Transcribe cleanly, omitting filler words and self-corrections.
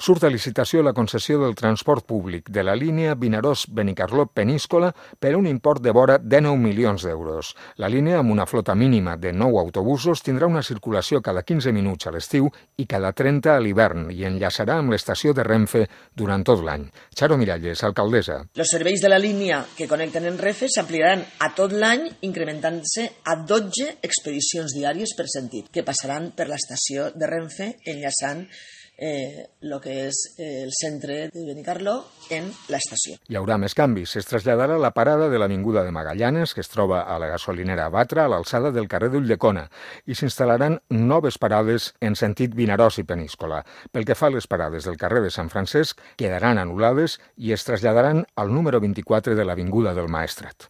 Surt a licitació la concessió del transport públic de la línia Vinaròs-Benicarló-Peníscola per un import de vora 19 milions d'euros. La línia, amb una flota mínima de 9 autobusos, tindrà una circulació cada 15 minuts a l'estiu i cada 30 a l'hivern i enllaçarà amb l'estació de Renfe durant tot l'any. Charo Miralles, alcaldessa. Els serveis de la línia que connecten en Renfe s'ampliaran a tot l'any, incrementant-se a 12 expedicions diàries per sentit, que passaran per l'estació de Renfe, enllaçant el que és el centre de Benicarló en l'estació. Hi haurà més canvis. Es traslladarà la parada de l'Avinguda de Magallanes, que es troba a la gasolinera Batra, a l'alçada del carrer d'Ulldecona, i s'instal·laran noves parades en sentit Vinaròs i Peníscola. Pel que fa a les parades del carrer de Sant Francesc, quedaran anul·lades i es traslladaran al número 24 de l'Avinguda del Maestrat.